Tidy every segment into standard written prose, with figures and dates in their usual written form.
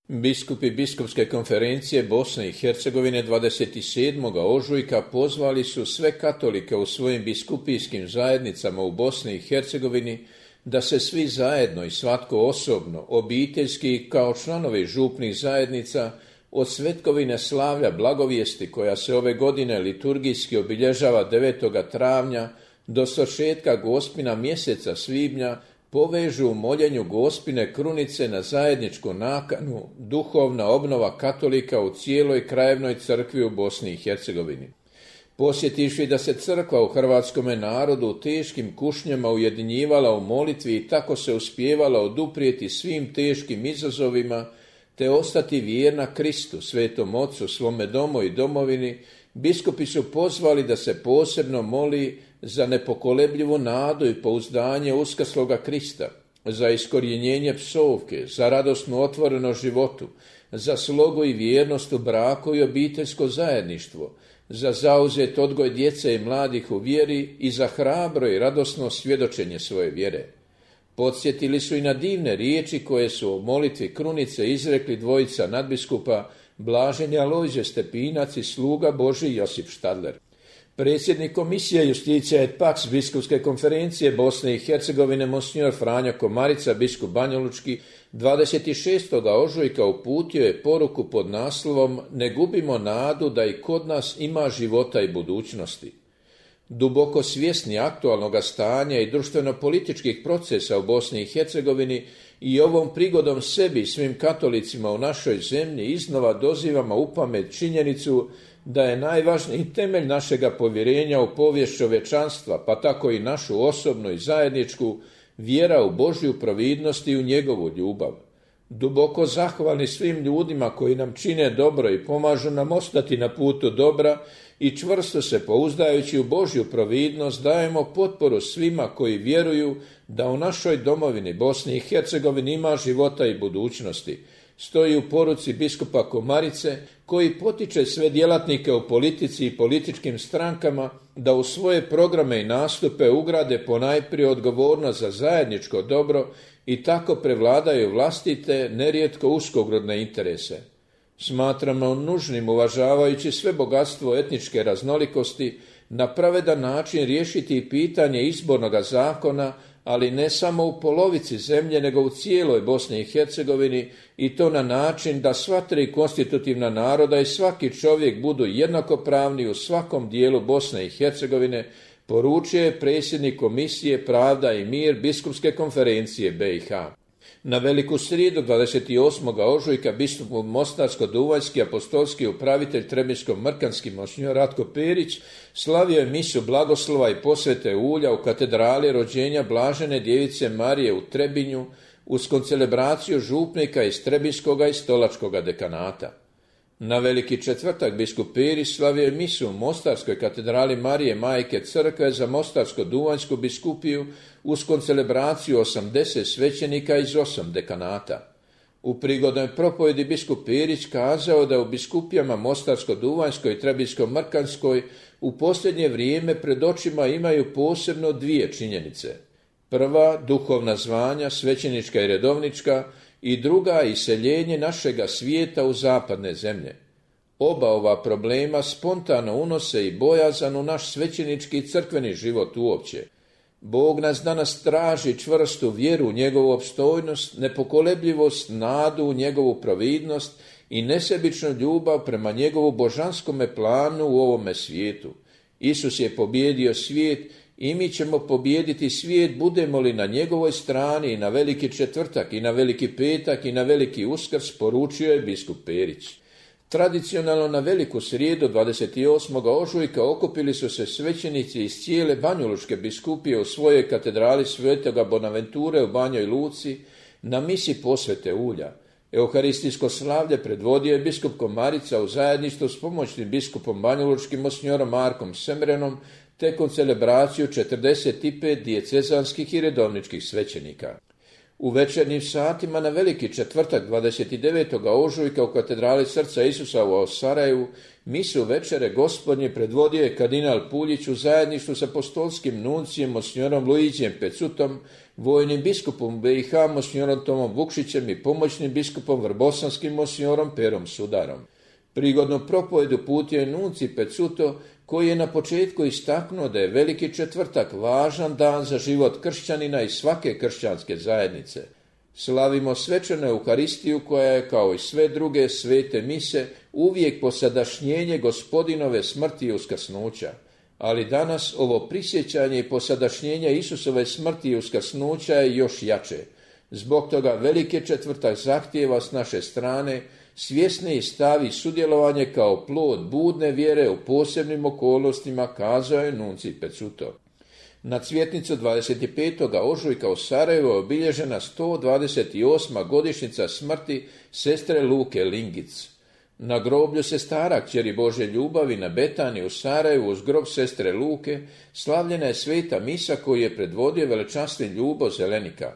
Biskupi Biskupske konferencije Bosne i Hercegovine 27. ožujka pozvali su sve katolike u svojim biskupijskim zajednicama u Bosni i Hercegovini da se svi zajedno i svatko osobno, obiteljski kao članovi župnih zajednica od svetkovine slavlja blagovijesti koja se ove godine liturgijski obilježava 9. travnja do svršetka Gospina mjeseca svibnja povežu u moljenju Gospine krunice na zajedničku nakanu duhovna obnova katolika u cijeloj krajevnoj crkvi u Bosni i Hercegovini. Posjetivši da se crkva u hrvatskome narodu u teškim kušnjama ujedinjivala u molitvi i tako se uspijevala oduprijeti svim teškim izazovima, te ostati vjerna Kristu, Svetom Ocu, svome domu i domovini, biskupi su pozvali da se posebno moli za nepokolebljivu nadu i pouzdanje uskrsloga Krista, za iskorjenjenje psovke, za radosnu otvorenost životu, za slogu i vjernost u braku i obiteljsko zajedništvo, za zauzet odgoj djece i mladih u vjeri i za hrabro i radosno svjedočenje svoje vjere. Podsjetili su i na divne riječi koje su u molitvi krunice izrekli dvojica nadbiskupa Blaženi Alojzije Stepinac i sluga Božji Josip Štadler. Predsjednik komisije Justicija et Pax Biskupske konferencije Bosne i Hercegovine Monsignor Franjo Komarica, biskup Banjalučki, 26. ožujka uputio je poruku pod naslovom "Ne gubimo nadu da i kod nas ima života i budućnosti". Duboko svjesni aktualnog stanja i društveno-političkih procesa u Bosni i Hercegovini i ovom prigodom sebi i svim katolicima u našoj zemlji iznova dozivamo u pamet činjenicu da je najvažniji temelj našega povjerenja u povijest čovječanstva, pa tako i našu osobnu i zajedničku, vjera u Božju providnost i u njegovu ljubav. Duboko zahvalni svim ljudima koji nam čine dobro i pomažu nam ostati na putu dobra i čvrsto se pouzdajući u Božju providnost dajemo potporu svima koji vjeruju da u našoj domovini Bosni i Hercegovini ima života i budućnosti. Stoji u poruci biskupa Komarice koji potiče sve djelatnike u politici i političkim strankama da u svoje programe i nastupe ugrade ponajprije odgovornost za zajedničko dobro i tako prevladaju vlastite, nerijetko uskogrudne interese. Smatramo nužnim, uvažavajući sve bogatstvo etničke raznolikosti, na pravedan način riješiti pitanje izbornoga zakona, ali ne samo u polovici zemlje, nego u cijeloj Bosni i Hercegovini, i to na način da sva tri konstitutivna naroda i svaki čovjek budu jednakopravni u svakom dijelu Bosne i Hercegovine, poručuje je predsjednik Komisije Pravda i mir Biskupske konferencije BiH. Na Veliku srijedu 28. ožujka biskup Mostarsko-Duvanjski apostolski upravitelj Trebinjsko-Mrkanski monsignor Ratko Perić slavio je misu blagoslova i posvete ulja u katedrali rođenja Blažene djevice Marije u Trebinju uz koncelebraciju župnika iz Trebinjskoga i Stolačkoga dekanata. Na Veliki četvrtak biskup Perić slavio je misu u Mostarskoj katedrali Marije Majke Crkve za Mostarsko-Duvanjsku biskupiju uz koncelebraciju 80 svećenika iz 8 dekanata. U prigodnoj propovjedi biskup Perić kazao da u biskupijama Mostarsko-Duvanjskoj i Trebinjsko-Mrkanskoj u posljednje vrijeme pred očima imaju posebno dvije činjenice. Prva, duhovna zvanja, svećenička i redovnička, i druga, iseljenje našega svijeta u zapadne zemlje. Oba ova problema spontano unose i bojazan u naš svećenički i crkveni život uopće. Bog nas danas traži čvrstu vjeru u njegovu opstojnost, nepokolebljivost, nadu u njegovu providnost i nesebičnu ljubav prema njegovu božanskome planu u ovome svijetu. Isus je pobijedio svijet i mi ćemo pobijediti svijet budemo li na njegovoj strani i na Veliki četvrtak i na Veliki petak i na Veliki uskrs, poručio je biskup Perić. Tradicionalno na Veliku srijedu 28. ožujka okupili su se svećenici iz cijele Banjalučke biskupije u svojoj katedrali Svetoga Bonaventure u Banjoj Luci na misi posvete ulja. Euharistijsko slavlje predvodio je biskup Komarica u zajedništvu s pomoćnim biskupom Banjalučkim monsignorom Markom Semrenom te koncelebraciju 45 dijecezanskih i redovničkih svećenika. U večernjim satima na Veliki četvrtak 29. ožujka u katedrali Srca Isusa u Sarajevu misu večere Gospodnje predvodio je kardinal Puljić u zajedništvu s apostolskim nuncijem monsignorom Luigijem Pecutom, vojnim biskupom BiH monsignorom Tomom Vukšićem i pomoćnim biskupom vrbosanskim monsignorom Perom Sudarom. Prigodnu propovedu uputio je nuncij Pecuto, koji je na početku istaknuo da je Veliki četvrtak važan dan za život kršćanina i svake kršćanske zajednice. Slavimo svečanu Euharistiju koja je, kao i sve druge svete mise, uvijek posadašnjenje Gospodinove smrti i uskrsnuća. Ali danas ovo prisjećanje i posadašnjenje Isusove smrti i uskrsnuća je još jače. Zbog toga Veliki četvrtak zahtijeva s naše strane svjesniji stav i sudjelovanje kao plod budne vjere u posebnim okolnostima, kazao je nuncij Pecuto. Na cvjetnicu 25. ožujka u Sarajevu je obilježena 128. godišnjica smrti sestre Luke Lingic. Na groblju sestara kćeri Božje ljubavi na Betani u Sarajevu uz grob sestre Luke slavljena je sveta misa koju je predvodio velečasni Ljubo Zelenika.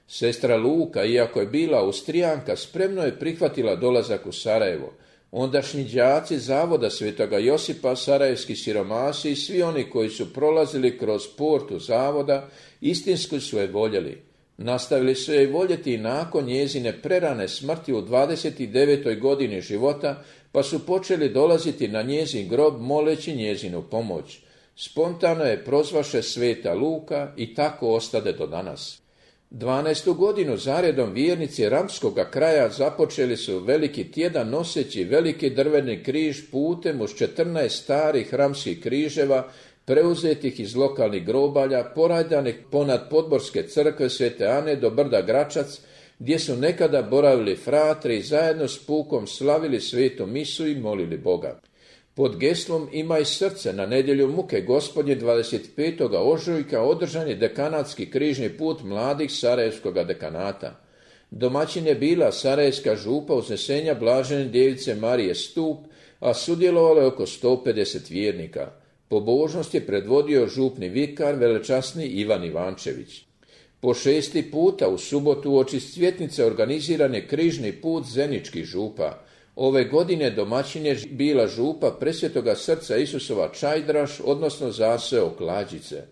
Sestra Luka, iako je bila Austrijanka, spremno je prihvatila dolazak u Sarajevo. Ondašnji đaci Zavoda Svetoga Josipa, sarajevski siromasi i svi oni koji su prolazili kroz portu Zavoda, istinski su je voljeli. Nastavili su je voljeti i nakon njezine prerane smrti u 29. godini života, pa su počeli dolaziti na njezin grob moleći njezinu pomoć. Spontano je prozvaše sveta Luka i tako ostade do danas. 12. godinu zaredom vjernici ramskoga kraja započeli su veliki tjedan noseći veliki drveni križ putem uz 14 starih ramskih križeva preuzetih iz lokalnih grobalja, porajdanih ponad Podborske crkve Svete Ane do brda Gračac, gdje su nekada boravili fratri i zajedno s pukom slavili svetu misu i molili Boga. Pod geslom Imaj srce na nedjelju muke Gospodnje 25. ožujka održan je dekanatski križni put mladih Sarajevskoga dekanata. Domaćin je bila Sarajevska župa Uznesenja Blažene djevice Marije Stup, a sudjelovalo je oko 150 vjernika. Pobožnost je predvodio župni vikar velečasni Ivan Ivančević. Po 6. puta u subotu uoči cvjetnice organiziran je križni put zeničkih župa. Ove godine domaćin je bila župa Presvetoga Srca Isusova Čajdraš, odnosno zaseo Klađice.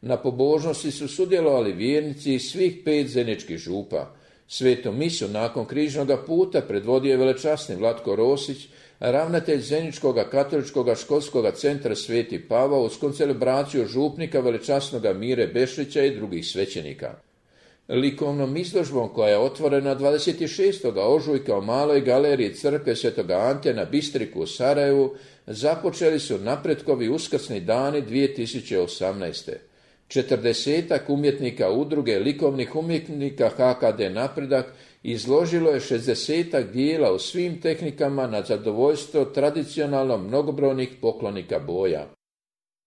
Na pobožnosti su sudjelovali vjernici iz svih 5 zeničkih župa. Svetu misu nakon križnoga puta predvodio je velečasni Vlatko Rosić, ravnatelj Zeničkoga katoličkoga školskoga centra Sveti Pavao uz koncelebraciju župnika velečasnoga Mire Bešlića i drugih svećenika. Likovnom izložbom koja je otvorena 26. ožujka u maloj galeriji crkve Svetoga Ante na Bistriku u Sarajevu započeli su napretkovi uskrsni dani 2018. 40 umjetnika udruge likovnih umjetnika HKD Napredak izložilo je 60 dijela u svim tehnikama na zadovoljstvo tradicionalno mnogobrojnih poklonika boja.